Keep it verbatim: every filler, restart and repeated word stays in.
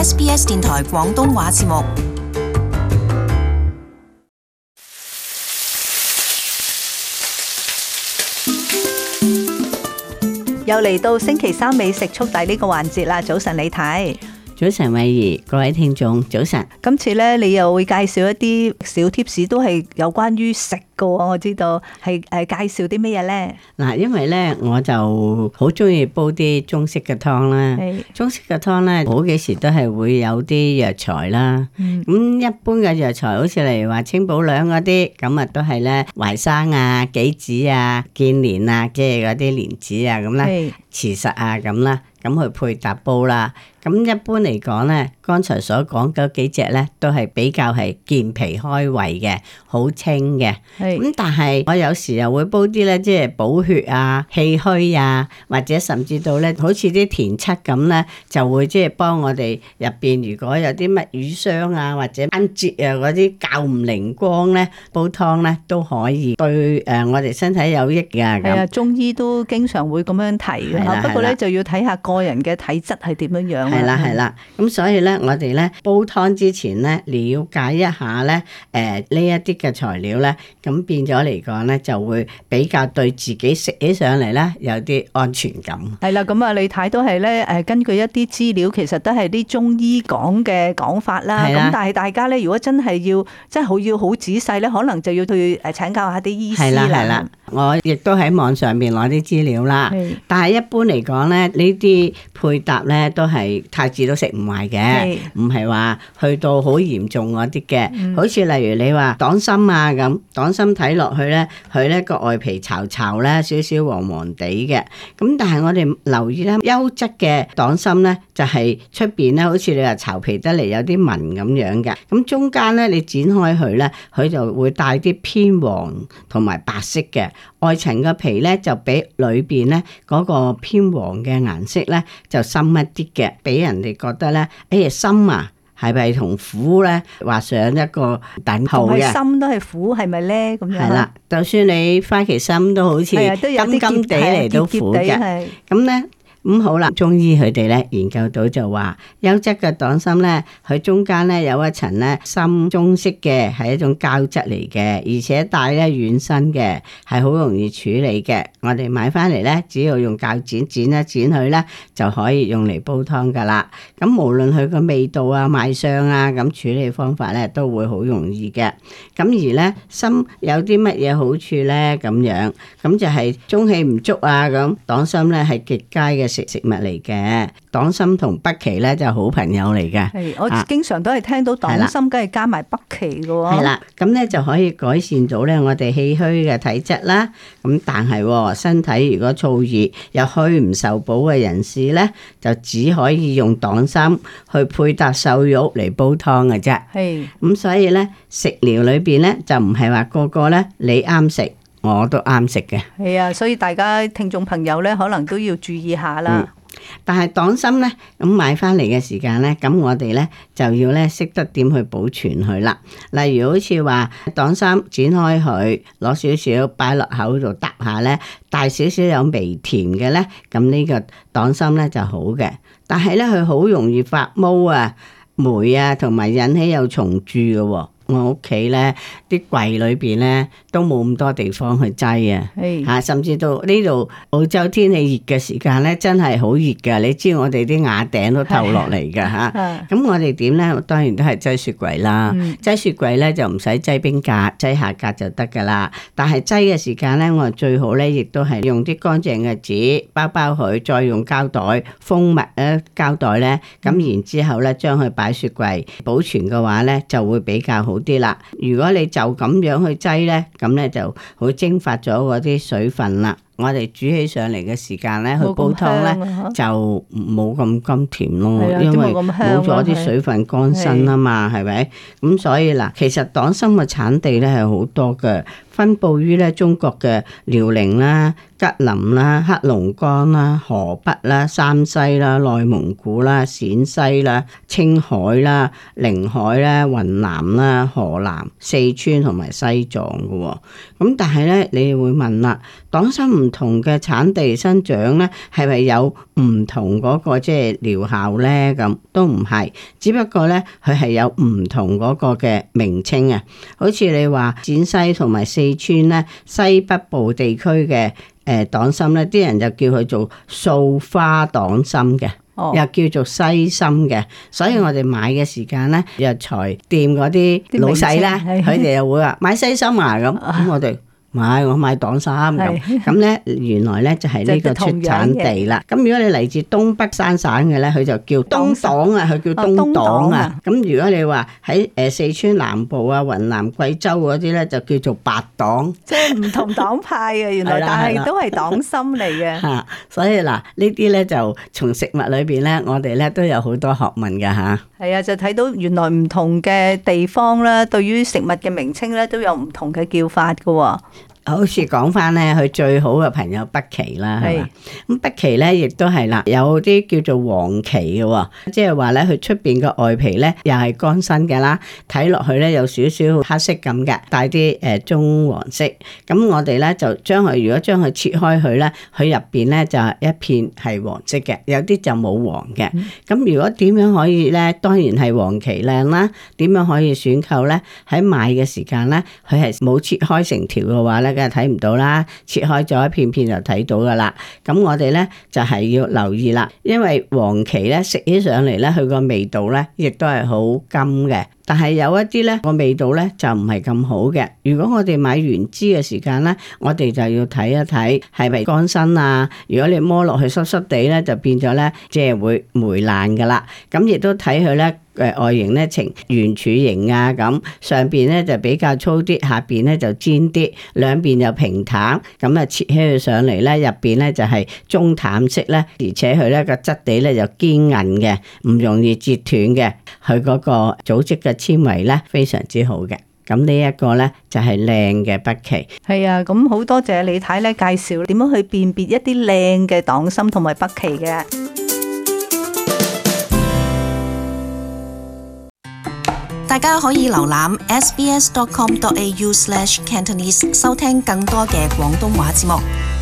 S B S 電台廣東話節目。又嚟到星期三美食速遞呢個環節啦！早晨李太，早晨慧怡，各位聽眾早晨。今次咧你又會介紹一啲小貼士，都係有關於食噶。我知道係誒介紹啲咩嘢咧？嗱，因為咧我就好中意煲啲中式嘅湯啦。中式嘅湯咧好幾時都係會有啲藥材啦。咁、嗯、一般嘅藥材，好似例如話清補涼嗰啲，咁啊都係咧淮山啊、杞子啊、建蓮啊，即係嗰啲蓮子啊咁啦，慈實啊咁啦。咁去配搭煲啦。咁一般嚟講咧，剛才所講嗰幾隻咧，都係比較係健脾開胃嘅，好清嘅。咁但係我有時又會煲啲咧，即係補血啊、氣虛啊，或者甚至到咧，好似啲田七咁咧，就會即係幫我哋入邊如果有啲乜瘀傷啊，或者關節啊嗰啲較唔靈光咧，煲湯咧都可以對誒我哋身體有益㗎。係啊，中醫都經常會咁樣提嘅。不過咧就要睇下個人嘅體質係點樣樣。係啦係啦，咁所以咧，我哋咧煲湯之前咧，了解一下咧，誒呢一啲嘅材料咧，咁變咗嚟講咧，就會比較對自己食起上嚟咧有啲安全感。係啦，咁啊，李太都係咧誒，根據一啲資料，其實都係啲中醫講嘅講法啦。咁但係大家咧，如果真係要真係好要好仔細咧，可能就要去誒請教下啲醫師啦。係啦係啦，我亦都喺網上邊攞啲資料啦。但係一般嚟講咧，呢啲配搭咧都係太子都食唔壞嘅，唔係話去到好嚴重嗰啲嘅。嗯、好似例如你話黨參啊咁，黨參睇落去咧，佢咧個外皮巢巢咧，少少黃黃地嘅。咁但係我哋留意咧，優質嘅黨參咧，就係出邊咧，好似你話巢皮得嚟有啲紋咁樣嘅。咁中間咧，你剪開佢咧，佢就會帶啲偏黃同埋白色嘅。外層嘅皮咧就比裏邊咧嗰個偏黃嘅顏色咧就深一啲嘅，俾人哋覺得咧，哎呀參啊，係咪同苦咧畫上一個等號嘅？參都係苦，係咪咧？咁樣係啦，就算你花旗參都好似金金地嚟都苦嘅，咁咧。咁、嗯、好啦，中醫佢哋咧研究到就話，優質嘅黨參咧，佢中間咧有一層咧深棕色嘅，係一種膠質嚟嘅，而且帶咧軟身嘅，係好容易處理嘅。我哋買翻嚟咧，只要用鉸剪剪一剪佢咧，就可以用嚟煲湯噶啦。咁無論佢個味道啊、賣相啊，咁處理方法咧都會好容易嘅。咁而咧參有啲乜嘢好處咧？咁樣咁就係中氣唔足啊。咁黨參咧係極佳嘅食食物嚟嘅，黨參同北芪咧就係好朋友嚟嘅。係，我經常都係聽到黨參，梗係加埋北芪嘅喎。係啦，咁咧就可以改善到咧我哋氣虛嘅體質啦。咁但係身體如果燥熱又虛唔受補嘅人士咧，就只可以用黨參去配搭瘦肉嚟煲湯嘅啫。係，咁所以咧食療裏邊咧就唔係話個個咧你啱食。我都啱食嘅，係啊，所以大家聽眾朋友咧，可能都要注意下啦。嗯、但係黨參咧，咁買翻嚟嘅時間咧，咁我哋咧就要咧識得點去保存佢啦。例如好似話黨參剪開佢，攞少少擺落口度嗒下咧，帶少少有微甜嘅咧，咁呢個黨參咧就好嘅。但係咧佢好容易發毛啊、霉啊，同埋引起有蟲蛀嘅喎。我屋企咧啲櫃裏邊咧都冇咁多地方去擠啊，吓甚至到呢度澳洲天氣熱嘅時間咧，真係好熱噶。你知我哋啲瓦頂都透落嚟噶吓，咁我哋點咧？當然都係擠雪櫃啦。擠、嗯、雪櫃咧就唔使擠冰格，擠下格就得噶啦。但係擠嘅時間咧，我哋最好咧，亦都係用啲乾淨嘅紙包包佢，再用膠袋封密咧膠袋咧，咁、嗯、然之後咧將佢擺雪櫃保存嘅話咧，就會比較好啲啦。如果你就咁樣去擠咧，咁咧就會蒸發咗嗰啲水分啦。我哋煮起上嚟嘅時間咧，去煲湯咧就冇咁甘甜咯，因為冇咗啲水分乾身啊嘛，係咪？咁所以嗱，其實黨參嘅產地咧係好多嘅，分佈於咧中國嘅遼寧啦、吉林啦、黑龍江啦、河北啦、山西啦、內蒙古啦、陝西啦、青海啦、寧海啦、雲南啦、河南、四川同埋西藏嘅。咁但係咧，你會問啦，黨參唔同嘅產地生長咧，係咪有唔同嗰個即係療效咧？咁都唔係，只不過咧佢係有唔同嗰個嘅名稱啊。好似你話陝西同埋四川咧，西北部地區嘅誒黨參咧，啲人就叫佢做素花黨參嘅，哦、又叫做西參嘅。所以我哋買嘅時間咧，藥材店嗰啲老細咧，佢哋又會話買西參啊咁，咁我哋。買我買黨參咁，咁咧原來咧就係呢個出產地啦。咁如果你嚟自東北三省嘅咧，佢就叫東黨啊，佢叫東黨啊。咁如果你話喺誒四川南部啊、雲南、貴州嗰啲咧，就叫做白黨。即係唔同黨派嘅原來，但係都係黨參嚟嘅。嚇，所以嗱呢啲咧就從食物裏邊咧，我哋咧都有好多學問㗎嚇。係啊，就睇到原來唔同嘅地方咧，對於食物嘅名稱咧都有唔同嘅叫法㗎喎。好似講翻咧，佢最好嘅朋友北芪啦，係嘛？咁北芪咧，亦都係啦，有啲叫做黃芪嘅，即係話咧，佢出邊嘅外皮咧，又係乾身嘅啦，睇落去咧有少少黑色咁嘅，帶啲誒棕黃色。咁我哋咧就將佢，如果將佢切開佢咧，佢入邊咧就係一片係黃色嘅，有啲就冇黃嘅。咁、嗯、如果點樣可以咧？當然係黃芪靚啦。點樣可以選購咧？喺買嘅時間咧，佢係冇切開成條嘅話咧，梗係睇唔到啦，切開咗一片片就睇到噶啦。咁我哋咧就係要留意啦，因為黃芪咧食起上嚟咧，佢個味道咧亦都係好甘嘅。但係有一啲咧個味道咧就唔係咁好嘅。如果我哋買原枝嘅時間咧，我哋就要睇一睇係咪乾身啊。如果你摸落去濕濕地咧，就變咗咧即係會霉爛噶啦。咁亦都睇佢咧誒外形咧呈圓柱形啊，咁上邊咧就比較粗啲，下邊咧就尖啲，兩邊又平坦。咁啊切起佢上嚟咧，入邊咧就係中淡色咧，而且佢咧個質地咧就堅韌嘅，唔容易折斷嘅。佢嗰個組織嘅纖維咧非常之好嘅。咁呢一個咧就係靚嘅北芪。係啊，咁好多謝李太咧介紹點樣去辨別一啲靚嘅黨參同埋北芪嘅。大家可以瀏覽 s b s dot com dot a u slash cantonese 收聽更多嘅廣東話節目。